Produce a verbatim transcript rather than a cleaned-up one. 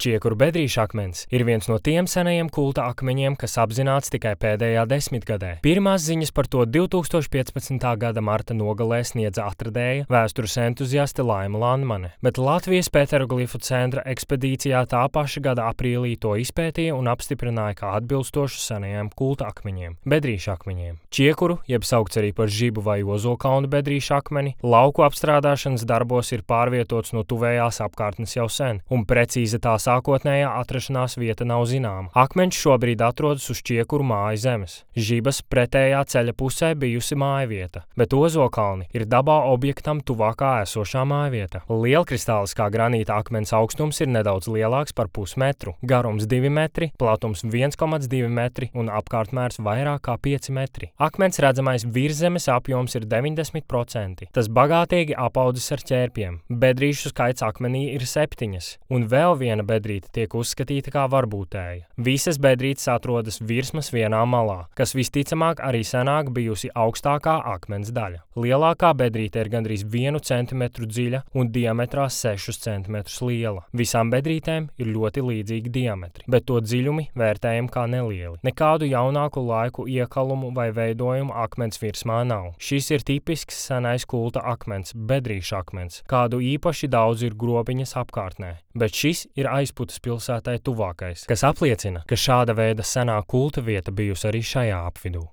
Čiekuru bedrīša akmens ir viens no tiem senajiem kulta akmeņiem, kas apzināts tikai pēdējā desmitgadē. Pirmās ziņas par to divtūkstoš piecpadsmitā gada marta nogalē sniedza atradēja, vēstures entuziaste Laima Landmane, bet Latvijas peteroglifu centra ekspedīcijā tā paša gada aprīlī to izpētīja un apstiprināja kā atbilstošu senajiem kulta akmeņiem – bedrīša akmeņiem. Čiekuru, jeb saukts arī par Žibu vai Ozolkalnu bedrīša akmeni, lauku apstrādāšanas darbos ir pārvietots no tuvējās apkārtnes jau sen, un precīza tā sākotnējā atrašanās vieta nav zināma. Akmeņš šobrīd atrodas uz Čiekuru māju zemes. Žibas pretējā ceļa pusē bijusi mājvieta, bet Ozolkalni ir dabā objektam tuvākā esošā mājvieta. Lielkristāliskā granīta akmens augstums ir nedaudz lielāks par pusmetru, garums divi metri, platums viens komats divi metri un apkārtmērs vairāk kā pieci metri. Akmens redzamais virszemes apjoms ir deviņdesmit procenti. Tas bagātīgi apaudzis ar ķērpiem. Bedrīšu skaits akmenī ir septiņas, un vēl viena bedrīte tiek uzskatīta kā varbūtēja. Visas bedrītes atrodas virsmas vienā malā, kas visticamāk arī senāk bijusi augstākā akmens daļa. Lielākā bedrīte ir gandrīz vienu centimetru dziļa un diametrā sešus centimetrus liela. Visām bedrītēm ir ļoti līdzīgi diametri, bet to dziļumi vērtējam kā nelieli. Nekādu jaunāku laiku iekalumu vai veidojumu akmens virsmā nav. Šis ir tipisks senais kulta akmens, bedrīša akmens, kādu īpaši daudz ir Grobiņas apkārtnē, bet šis ir Aizputas pilsētai tuvākais, kas apliecina, ka šāda veida senā kulta vieta bijusi arī šajā apvidū.